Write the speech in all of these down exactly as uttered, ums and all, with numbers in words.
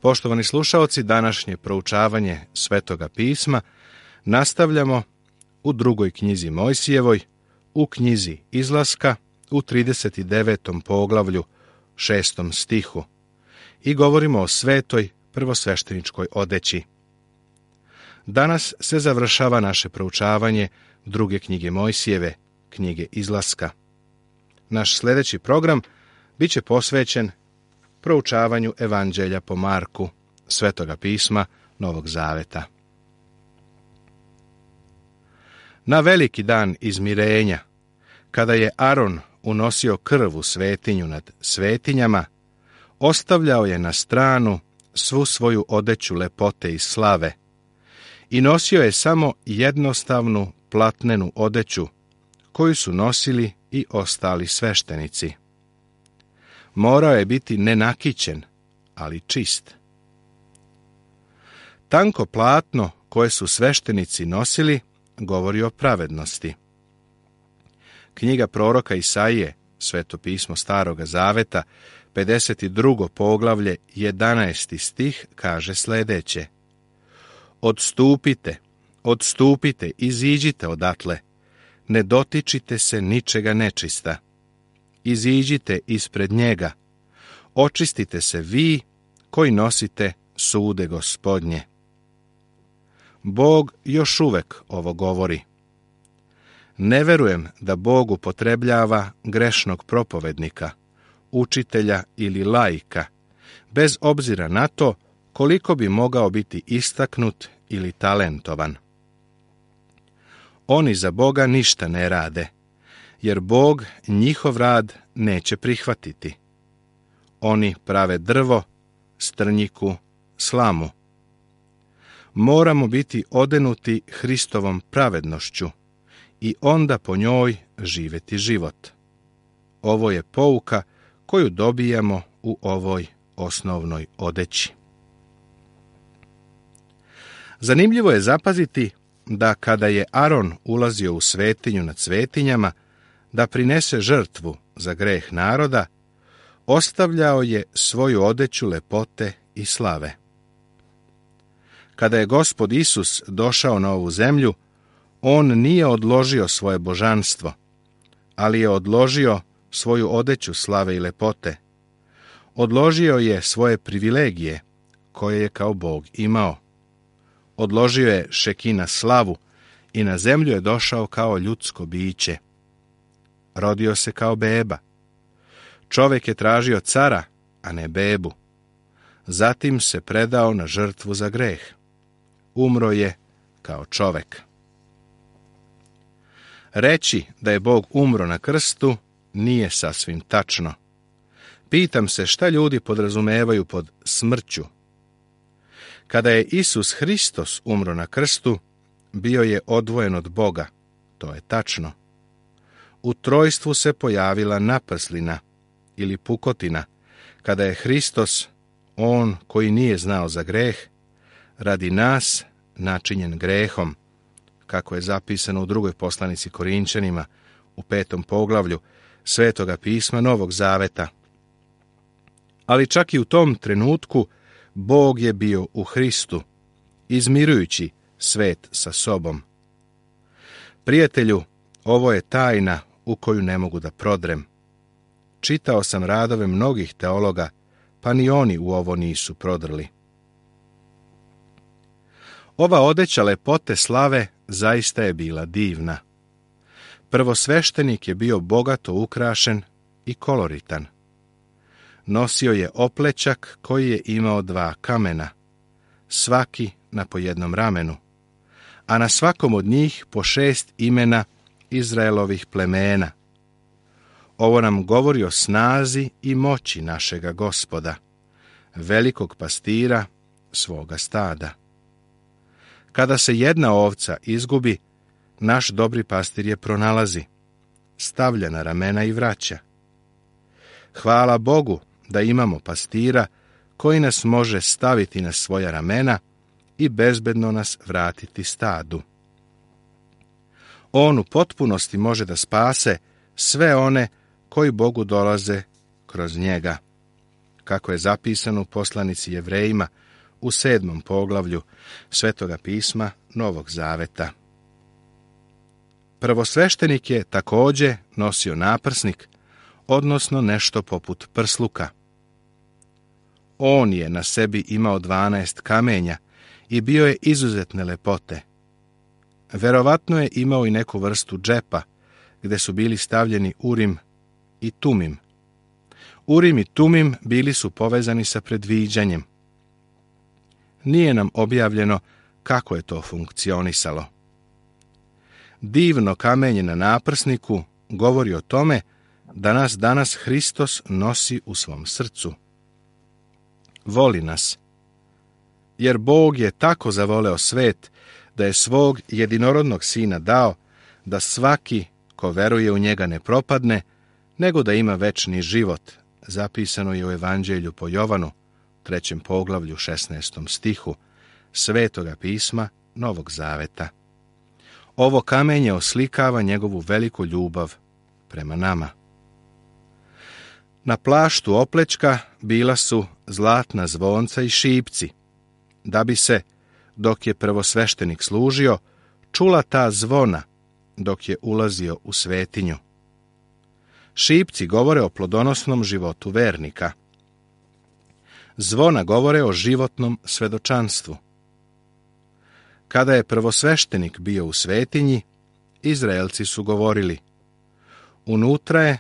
Poštovani slušaoci, današnje proučavanje Svetoga pisma nastavljamo u drugoj knjizi Mojsijevoj, u knjizi Izlaska, u trideset devetom poglavlju, šestom stihu, i govorimo o svetoj prvosvešteničkoj odeći. Danas se završava naše proučavanje druge knjige Mojsijeve, knjige Izlaska. Naš sljedeći program bit će posvećen proučavanju Evanđelja po Marku, Svetoga pisma Novog Zaveta. Na veliki dan izmirenja, kada je Aron unosio krv u svetinju nad svetinjama, ostavljao je na stranu svu svoju odeću lepote i slave i nosio je samo jednostavnu platnenu odeću koju su nosili i ostali sveštenici. Morao je biti nenakićen, ali čist. Tanko platno koje su sveštenici nosili govori o pravednosti. Knjiga proroka Isaije, Sveto pismo Staroga Zaveta, pedeset drugo poglavlje, jedanaesti stih, kaže sljedeće: Odstupite, odstupite, iziđite odatle, ne dotičite se ničega nečista. Iziđite ispred njega, očistite se vi koji nosite sude Gospodnje. Bog još uvek ovo govori. Ne verujem da Bog upotrebljava grešnog propovednika, učitelja ili laika, bez obzira na to koliko bi mogao biti istaknut ili talentovan. Oni za Boga ništa ne rade, jer Bog njihov rad neće prihvatiti. Oni prave drvo, strnjiku, slamu. Moramo biti odenuti Hristovom pravednošću i onda po njoj živjeti život. Ovo je pouka koju dobijamo u ovoj osnovnoj odeći. Zanimljivo je zapaziti da kada je Aron ulazio u svetinju nad svetinjama da prinese žrtvu za greh naroda, ostavljao je svoju odeću lepote i slave. Kada je Gospod Isus došao na ovu zemlju, on nije odložio svoje božanstvo, ali je odložio svoju odeću slave i lepote. Odložio je svoje privilegije, koje je kao Bog imao. Odložio je šekina slavu i na zemlju je došao kao ljudsko biće. Rodio se kao beba. Čovjek je tražio cara, a ne bebu. Zatim se predao na žrtvu za greh. Umro je kao čovjek. Reći da je Bog umro na krstu nije sasvim tačno. Pitam se šta ljudi podrazumevaju pod smrću. Kada je Isus Hristos umro na krstu, bio je odvojen od Boga, to je tačno. U trojstvu se pojavila naprslina ili pukotina, kada je Hristos, on koji nije znao za greh, radi nas načinjen grehom, kako je zapisano u drugoj poslanici Korinčanima, u petom poglavlju Svetoga pisma Novog Zaveta. Ali čak i u tom trenutku Bog je bio u Hristu, izmirujući svet sa sobom. Prijatelju, ovo je tajna u koju ne mogu da prodrem. Čitao sam radove mnogih teologa, pa ni oni u ovo nisu prodrli. Ova odeća lepote slave zaista je bila divna. Prvosveštenik je bio bogato ukrašen i koloritan. Nosio je oplećak koji je imao dva kamena, svaki na po jednom ramenu, a na svakom od njih po šest imena Izraelovih plemena. Ovo nam govori o snazi i moći našega Gospoda, velikog pastira svoga stada. Kada se jedna ovca izgubi, naš dobri pastir je pronalazi, stavlja na ramena i vraća. Hvala Bogu da imamo pastira koji nas može staviti na svoja ramena i bezbedno nas vratiti stadu. On u potpunosti može da spase sve one koji Bogu dolaze kroz njega. kako je zapisano u poslanici Jevrejima u sedmom poglavlju Svetoga pisma Novog Zaveta. Prvosveštenik je također nosio naprsnik, odnosno nešto poput prsluka. On je na sebi imao dvanaest kamenja i bio je izuzetne lepote. Verovatno je imao i neku vrstu džepa, gdje su bili stavljeni Urim i Tumim. Urim i Tumim bili su povezani sa predviđanjem. Nije nam objavljeno kako je to funkcionisalo. Divno kamenje na naprsniku govori o tome da nas danas Hristos nosi u svom srcu. Voli nas, jer Bog je tako zavoleo svet da je svog jedinorodnog sina dao da svaki ko veruje u njega ne propadne, nego da ima večni život, zapisano je u Evanđelju po Jovanu, trećem poglavlju, šesnaestom stihu, Svetoga pisma Novog Zaveta. Ovo kamenje oslikava njegovu veliku ljubav prema nama. Na plaštu oplečka bila su zlatna zvonca i šipci, da bi se, dok je prvosveštenik služio, čula ta zvona dok je ulazio u svetinju. Šipci govore o plodonosnom životu vernika. Zvona govore o životnom svedočanstvu. Kada je prvosveštenik bio u svetinji, Izraelci su govorili: unutra je,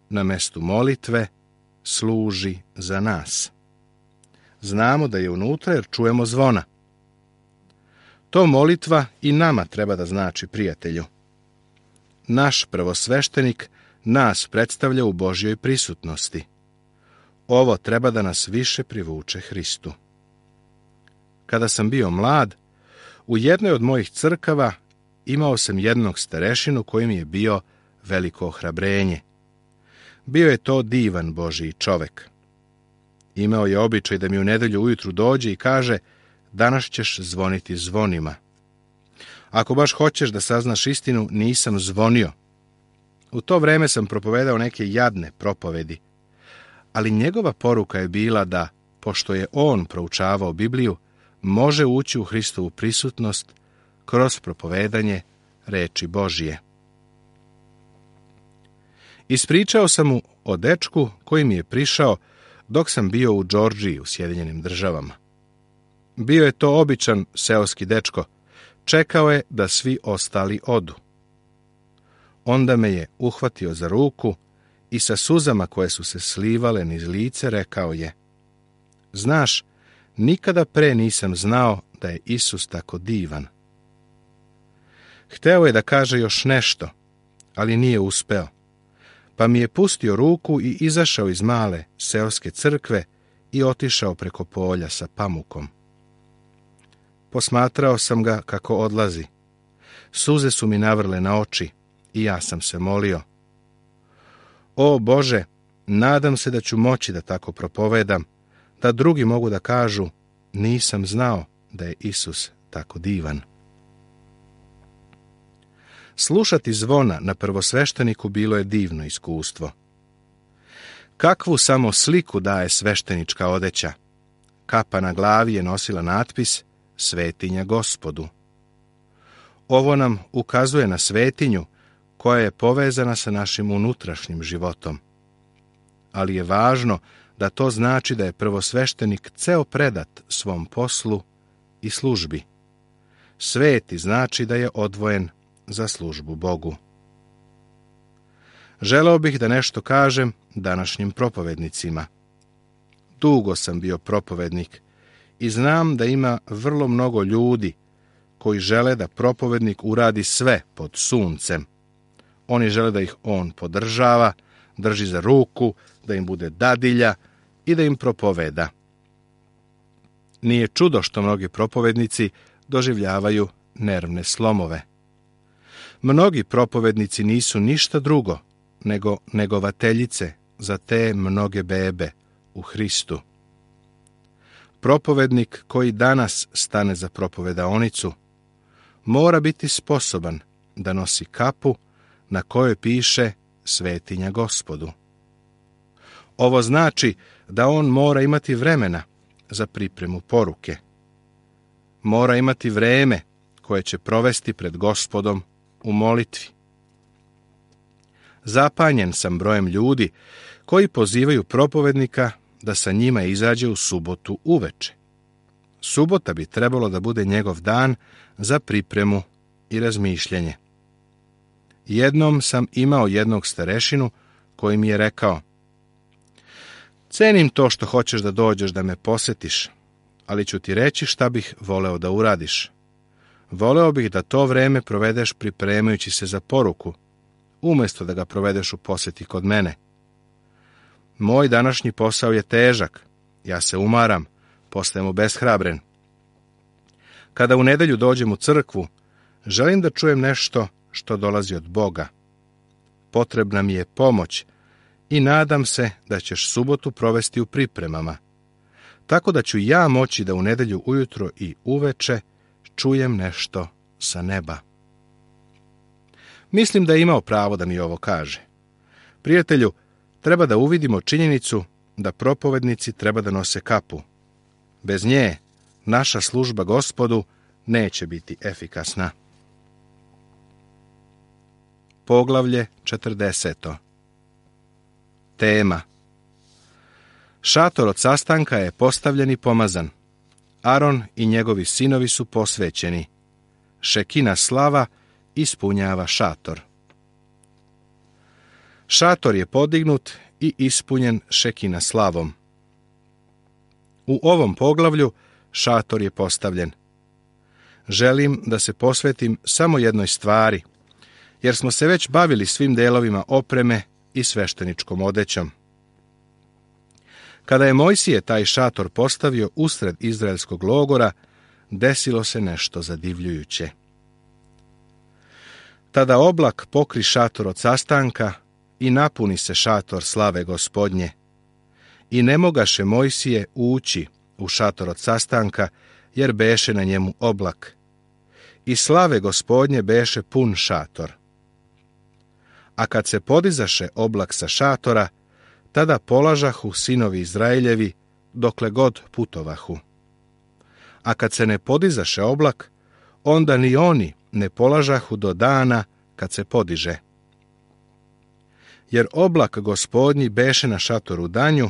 na mestu molitve, služi za nas. Znamo da je unutra jer čujemo zvona. To molitva i nama treba da znači, prijatelju. Naš prvosveštenik nas predstavlja u Božjoj prisutnosti. Ovo treba da nas više privuče Hristu. Kada sam bio mlad, u jednoj od mojih crkava imao sam jednog starešinu koji mi je bio veliko ohrabrenje. Bio je to divan Božji čovek. Imao je običaj da mi u nedelju ujutru dođe i kaže: danas ćeš zvoniti zvonima. Ako baš hoćeš da saznaš istinu, nisam zvonio. U to vreme sam propovedao neke jadne propovedi, ali njegova poruka je bila da, pošto je on proučavao Bibliju, može ući u Hristovu prisutnost kroz propovedanje reči Božije. Ispričao sam mu o dečku koji mi je prišao dok sam bio u Džordžiji u Sjedinjenim Državama. Bio je to običan seoski dečko, čekao je da svi ostali odu. Onda me je uhvatio za ruku i sa suzama koje su se slivale niz lice rekao je: znaš, nikada pre nisam znao da je Isus tako divan. Hteo je da kaže još nešto, ali nije uspeo, pa mi je pustio ruku i izašao iz male seoske crkve i otišao preko polja sa pamukom. Posmatrao sam ga kako odlazi. Suze su mi navrle na oči i ja sam se molio: o Bože, nadam se da ću moći da tako propovedam, da drugi mogu da kažu: nisam znao da je Isus tako divan. Slušati zvona na prvosvešteniku bilo je divno iskustvo. Kakvu samo sliku daje sveštenička odeća. Kapa na glavi je nosila natpis Svetinja Gospodu. Ovo nam ukazuje na svetinju koja je povezana sa našim unutrašnjim životom. Ali je važno da to znači da je prvosveštenik ceo predat svom poslu i službi. Sveti znači da je odvojen za službu Bogu. Želeo bih da nešto kažem današnjim propovednicima. Dugo sam bio propovednik i znam da ima vrlo mnogo ljudi koji žele da propovednik uradi sve pod suncem. Oni žele da ih on podržava, drži za ruku, da im bude dadilja i da im propoveda. Nije čudo što mnogi propovednici doživljavaju nervne slomove. Mnogi propovednici nisu ništa drugo nego negovateljice za te mnoge bebe u Hristu. Propovednik koji danas stane za propovedaonicu mora biti sposoban da nosi kapu na kojoj piše Svetinja Gospodu. Ovo znači da on mora imati vremena za pripremu poruke. Mora imati vreme koje će provesti pred Gospodom u molitvi. Zapanjen sam brojem ljudi koji pozivaju propovednika da sa njima izađe u subotu uveče. Subota bi trebalo da bude njegov dan za pripremu i razmišljanje. Jednom sam imao jednog starešinu koji mi je rekao: cenim to što hoćeš da dođeš da me posetiš, ali ću ti reći šta bih voleo da uradiš. Voleo bih da to vreme provedeš pripremajući se za poruku, umjesto da ga provedeš u poseti kod mene. Moj današnji posao je težak, ja se umaram, postajem obeshrabren. Kada u nedelju dođem u crkvu, želim da čujem nešto što dolazi od Boga. Potrebna mi je pomoć i nadam se da ćeš subotu provesti u pripremama, tako da ću ja moći da u nedelju ujutro i uveče čujem nešto sa neba. Mislim da je imao pravo da mi ovo kaže. Prijatelju, treba da uvidimo činjenicu da propovednici treba da nose kapu. Bez nje naša služba Gospodu neće biti efikasna. Poglavlje četrdeseto. Tema. Šator od sastanka je postavljen i pomazan. Aron i njegovi sinovi su posvećeni. Šekina slava ispunjava šator. Šator je podignut i ispunjen šekina slavom. U ovom poglavlju šator je postavljen. Želim da se posvetim samo jednoj stvari, jer smo se već bavili svim delovima opreme i svešteničkom odećom. Kada je Mojsije taj šator postavio usred izraelskog logora, desilo se nešto zadivljujuće. Tada oblak pokri šator od sastanka i napuni se šator slave Gospodnje. I ne mogaše Mojsije ući u šator od sastanka, jer beše na njemu oblak. I slave Gospodnje beše pun šator. A kad se podizaše oblak sa šatora, tada polažahu sinovi Izraeljevi dokle god putovahu. A kad se ne podizaše oblak, onda ni oni ne polažahu do dana kad se podiže. Jer oblak Gospodnji beše na šatoru danju,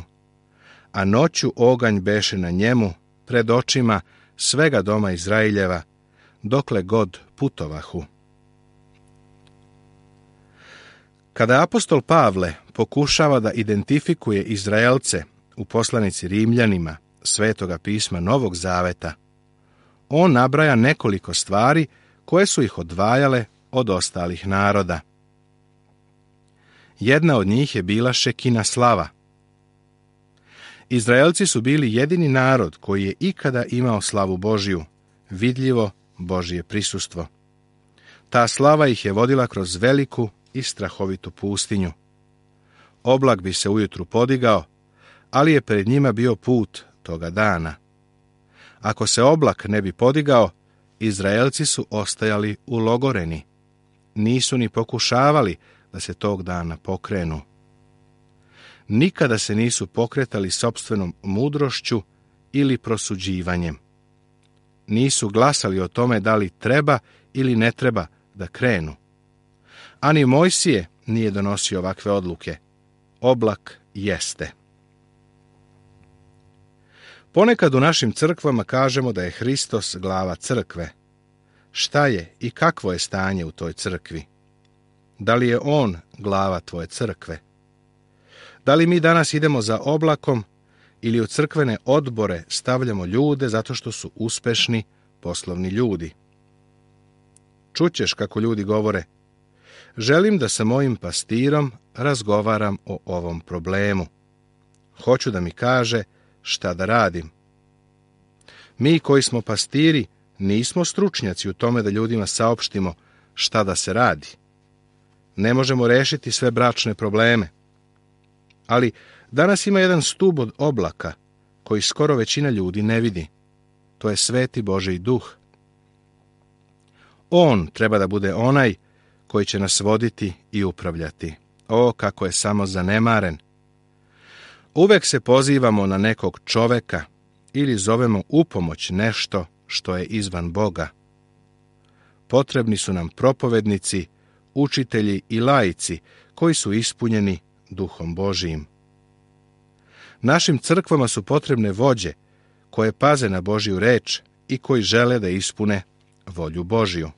a noću oganj beše na njemu pred očima svega doma Izraeljeva, dokle god putovahu. Kada apostol Pavle pokušava da identifikuje Izraelce u poslanici Rimljanima Svetoga pisma Novog Zaveta, on nabraja nekoliko stvari koje su ih odvajale od ostalih naroda. Jedna od njih je bila šekina slava. Izraelci su bili jedini narod koji je ikada imao slavu Božju, vidljivo Božje prisustvo. Ta slava ih je vodila kroz veliku i strahovitu pustinju. Oblak bi se ujutru podigao, ali je pred njima bio put toga dana. Ako se oblak ne bi podigao, Izraelci su ostajali ulogoreni. Nisu ni pokušavali da se tog dana pokrenu. Nikada se nisu pokretali sopstvenom mudrošću ili prosuđivanjem. Nisu glasali o tome da li treba ili ne treba da krenu. Ani Mojsije nije donosio ovakve odluke. Oblak jeste. Ponekad u našim crkvama kažemo da je Hristos glava crkve. Šta je i kakvo je stanje u toj crkvi? Da li je on glava tvoje crkve? Da li mi danas idemo za oblakom ili u crkvene odbore stavljamo ljude zato što su uspešni poslovni ljudi? Čućeš kako ljudi govore: želim da sa mojim pastirom razgovaram o ovom problemu. Hoću da mi kaže šta da radim. Mi koji smo pastiri nismo stručnjaci u tome da ljudima saopštimo šta da se radi. Ne možemo rešiti sve bračne probleme. Ali danas ima jedan stub od oblaka koji skoro većina ljudi ne vidi. To je Sveti Božji Duh. On treba da bude onaj koji će nas voditi i upravljati. O, kako je samo zanemaren! Uvek se pozivamo na nekog čoveka ili zovemo upomoć nešto što je izvan Boga. Potrebni su nam propovednici, učitelji i laici koji su ispunjeni Duhom Božijim. Našim crkvama su potrebne vođe koje paze na Božju reč i koji žele da ispune volju Božiju.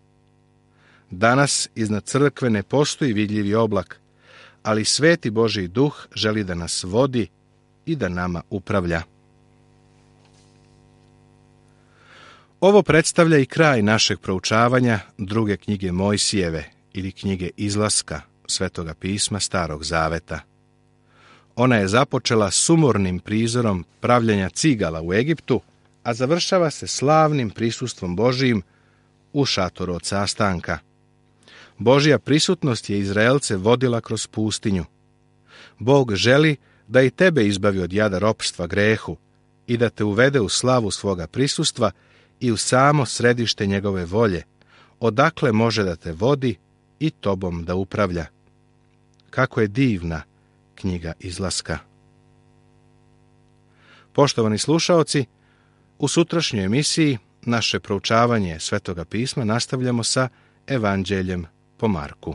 Danas iznad crkve ne postoji vidljivi oblak, ali sveti Božji duh želi da nas vodi i da nama upravlja. Ovo predstavlja i kraj našeg proučavanja druge knjige Mojsijeve ili knjige Izlaska Svetoga pisma Starog Zaveta. Ona je započela sumornim prizorom pravljenja cigala u Egiptu, a završava se slavnim prisustvom Božijim u šatoru od sastanka. Božja prisutnost je Izraelce vodila kroz pustinju. Bog želi da i tebe izbavi od jada ropstva grehu i da te uvede u slavu svoga prisustva i u samo središte njegove volje, odakle može da te vodi i tobom da upravlja. Kako je divna knjiga Izlaska. Poštovani slušaoci, u sutrašnjoj emisiji naše proučavanje Svetoga pisma nastavljamo sa Evanđeljem po Marku.